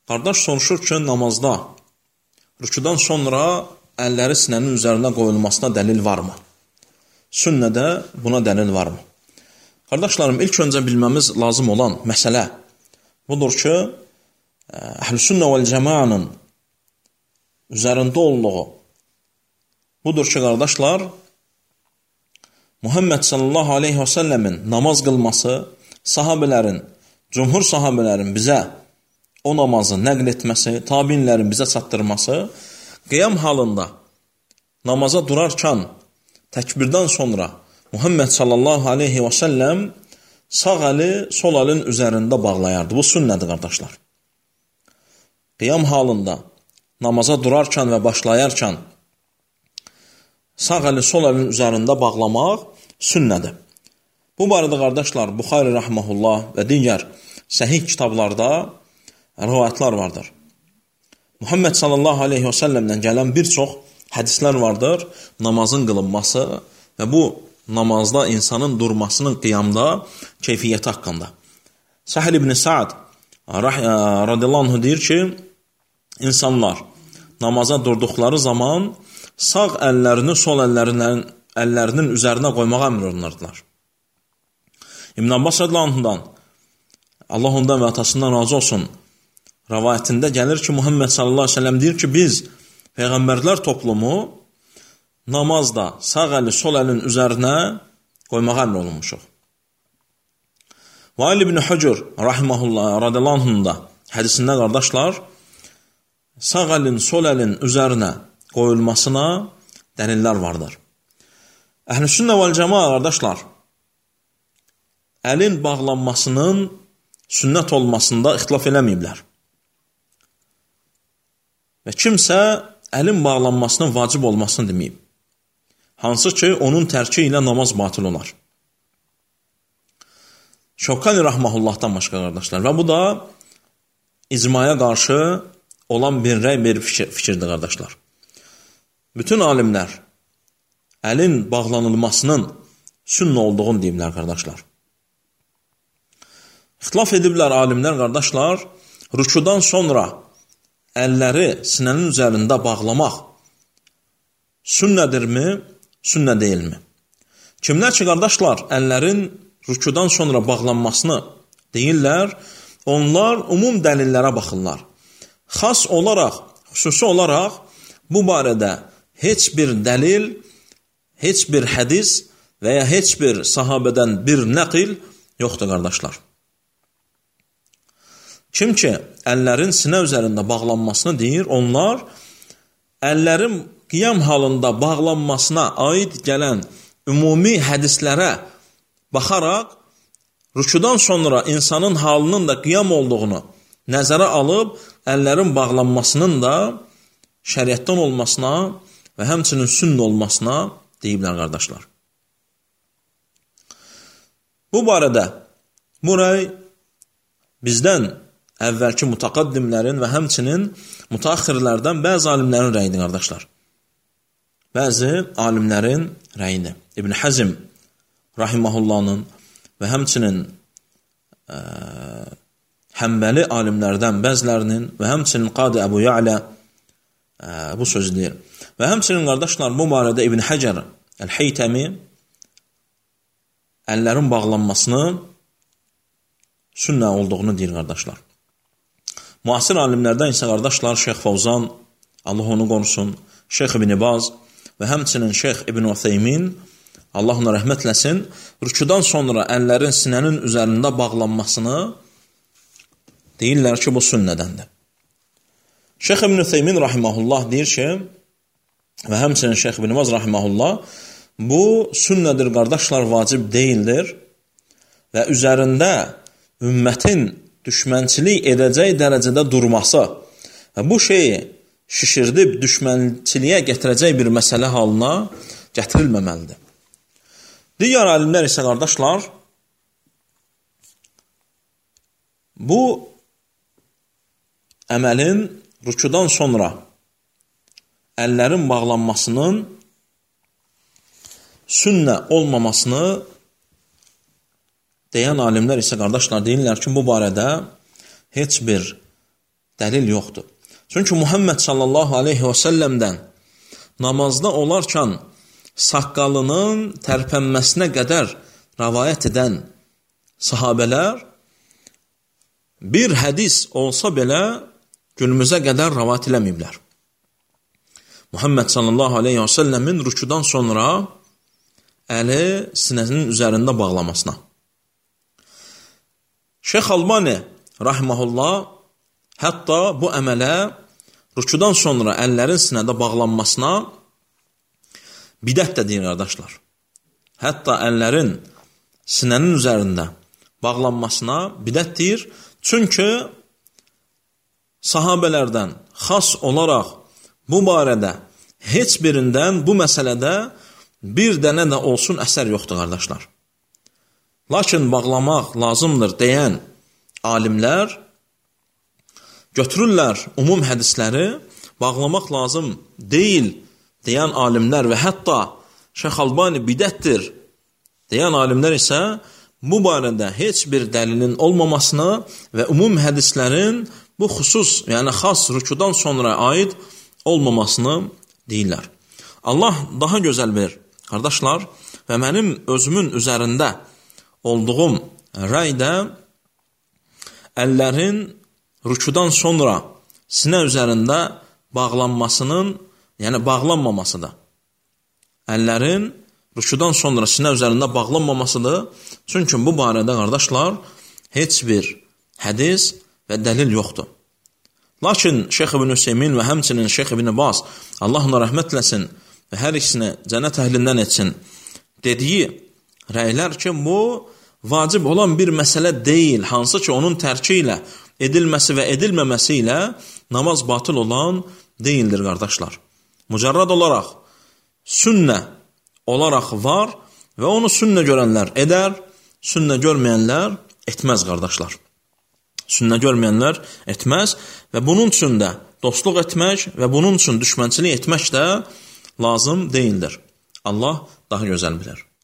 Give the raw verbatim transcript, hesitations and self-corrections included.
Qardaş soruşur ki, namazda rükudan sonra əlləri sinənin üzərində qoyulmasına dəlil varmı? Sünnədə buna dəlil varmı? Qardaşlarım, ilk öncə bilməmiz lazım olan məsələ budur ki, Əhl-i Sünnə vəl Cəmaənin üzərində olduğu budur ki, qardaşlar, Muhammed sallallahu aleyhi və səlləmin namaz qılması, sahabələrin, cümhur sahabələrin bizə o namazı nəql etməsi, tabinlərin bizə çatdırması, qiyam halında namaza durarkən təkbirdən sonra Muhammed sallallahu aleyhi və səlləm sağ əli sol əlin üzərində bağlayardı. Bu sünnədir, qardaşlar. Qiyam halında namaza durarkən və başlayarkən sağ əli sol əlin üzərində bağlamaq sünnədir. Bu barədə, qardaşlar, Buxari rəhməhullah və digər səhih kitablarda rivayətlər vardır. Muhammed sallallahu aleyhi və səlləmdən gələn bir çox hədislər vardır, namazın qılınması və bu namazda insanın durmasının qiyamda keyfiyyəti haqqında. Səhl ibn Sa'd radiyallahu anh deyir ki, insanlar namaza durduqları zaman sağ əllərini sol əllərinin, əllərinin üzərinə qoymağa əmr olunardılar. İbn Abbas radiyallahu anhdan, Allah ondan və atasından razı olsun, rivayətində gəlir ki, Muhammed sallallahu aleyhi ve sellem deyir ki, biz Peyğəmbərlər toplumu namazda sağ əli sol əlin üzərinə qoymağa əmr olunmuşuq. Vail ibn Hucur rahimehullah radiyallahu anhunda hədisində, qardaşlar, sağ əlin sol əlin üzərinə qoyulmasına dəlillər vardır. Əhl-i Sünnə vəl Cəmaə, qardaşlar, əlin bağlanmasının sünnət olmasında ixtilaf eləməyiblər. Və kimsə əlin bağlanmasının vacib olmasını deməyib. Hansı ki, onun tərki ilə namaz batil olar. Şövkani rahmehullahdan başqa, qardaşlar. Və bu da icmaya qarşı olan bir rəy, bir fikir, fikirdir, qardaşlar. Bütün alimlər əlin bağlanılmasının sünnə olduğunu deyiblər, qardaşlar. İxtilaf ediblər alimlər, qardaşlar, rükudan sonra əlləri sinənin üzərində bağlamaq sünnədirmi, sünnə deyilmi? Kimlər ki, qardaşlar, əllərin rükudan sonra bağlanmasını deyirlər, onlar umum dəlillərə baxırlar. Xas olaraq, xüsusi olaraq bu barədə heç bir dəlil, heç bir hədis və ya heç bir sahabədən bir nəqil yoxdur, qardaşlar. Kim ki, əllərin sinə üzərində bağlanmasını deyir, onlar əllərin qiyam halında bağlanmasına aid gələn ümumi hədislərə baxaraq, rükudan sonra insanın halının da qiyam olduğunu nəzərə alıb, əllərin bağlanmasının da şəriətdən olmasına və həmçinin sünnə olmasına deyiblər, qardaşlar. Bu barədə bu rəy bizdən əvvəlki mütəqaddimlərin və həmçinin mütəaxirlərdən bəzi alimlərin rəyidir, qardaşlar. Bəzi alimlərin rəyidir. İbn Həzm rahimehullahın və həmçinin ə, Həmbəli alimlərdən bəzilərinin və həmçinin Qadi Əbu Ya'lə ə, bu sözü deyir. Və həmçinin, qardaşlar, bu barədə İbn Həcər Əl-Heytəmi əllərin bağlanmasını sünnə olduğunu deyir, qardaşlar. Müasir alimlərdən isə, qardaşlar, Şeyx Fəvzan, Allah onu qorusun, Şeyx İbn Baz və həmçinin Şeyx İbn Utheymin, Allah ona rəhmət eləsin, rükudan sonra əllərin sinənin üzərində bağlanmasını deyirlər ki, bu sünnədəndir. Şeyx İbn Utheymin rahimehullah deyir ki, və həmçinin Şeyx İbn Baz rahimehullah, bu sünnədir, qardaşlar, vacib deyildir və üzərində ümmətin düşmənçilik edəcək dərəcədə durması və bu şeyi şişirdib düşmənçiliyə gətirəcək bir məsələ halına gətirilməməlidir. Digər alimlər isə, qardaşlar, bu əməlin rükudan sonra əllərin bağlanmasının sünnə olmamasını deyən alimlər isə, qardaşlar, deyirlər ki, bu barədə heç bir dəlil yoxdur. Çünki Muhammed sallallahu aleyhi və səlləmdən namazda olarkən saqqalının tərpənməsinə qədər rəvayət edən sahabələr bir hədis olsa belə günümüzə qədər rəvayət eləməyiblər. Muhammed sallallahu aleyhi və səlləmin rükudan sonra əli sinəsinin üzərində bağlamasına. Şeyx Albani rahimehullah hətta bu əmələ rükudan sonra əllərin sinədə bağlanmasına bidət də deyir qardaşlar. Hətta əllərin sinənin üzərində bağlanmasına bidət deyir. Çünki sahabələrdən xas olaraq bu barədə heç birindən bu məsələdə bir dənə də olsun əsər yoxdur qardaşlar. Lakin bağlamaq lazımdır deyən alimlər götürürlər umum hədisləri, bağlamaq lazım deyil deyən alimlər və hətta Şeyx Albani bidətdir deyən alimlər isə bu barədə heç bir dəlilin olmamasını və umum hədislərin bu xüsus, yəni xas rükudan sonra aid olmamasını deyirlər. Allah daha gözəl bilir, qardaşlar, və mənim özümün üzərində olduğum rəydə əllərin rükudan sonra sinə üzərində bağlanmasının, yəni bağlanmamasıdır. Əllərin rükudan sonra sinə üzərində bağlanmamasıdır. Çünki bu barədə qardaşlar heç bir hədis və dəlil yoxdur. Lakin Şeyx İbn Hüseymin və həmçinin Şeyx İbn Baz, Allah ona rəhmət eləsin və hər ikisini cənnət əhlindən etsin, dediyi rəylər ki, bu vacib olan bir məsələ deyil, hansı ki onun tərki ilə edilməsi və edilməməsi ilə namaz batıl olan deyildir qardaşlar. Mücərrad olaraq sünnə olaraq var və onu sünnə görənlər edər, sünnə görməyənlər etməz qardaşlar. Sünnə görməyənlər etməz və bunun üçün də dostluq etmək və bunun üçün düşmənçilik etmək də lazım deyildir. Allah daha gözəl bilər.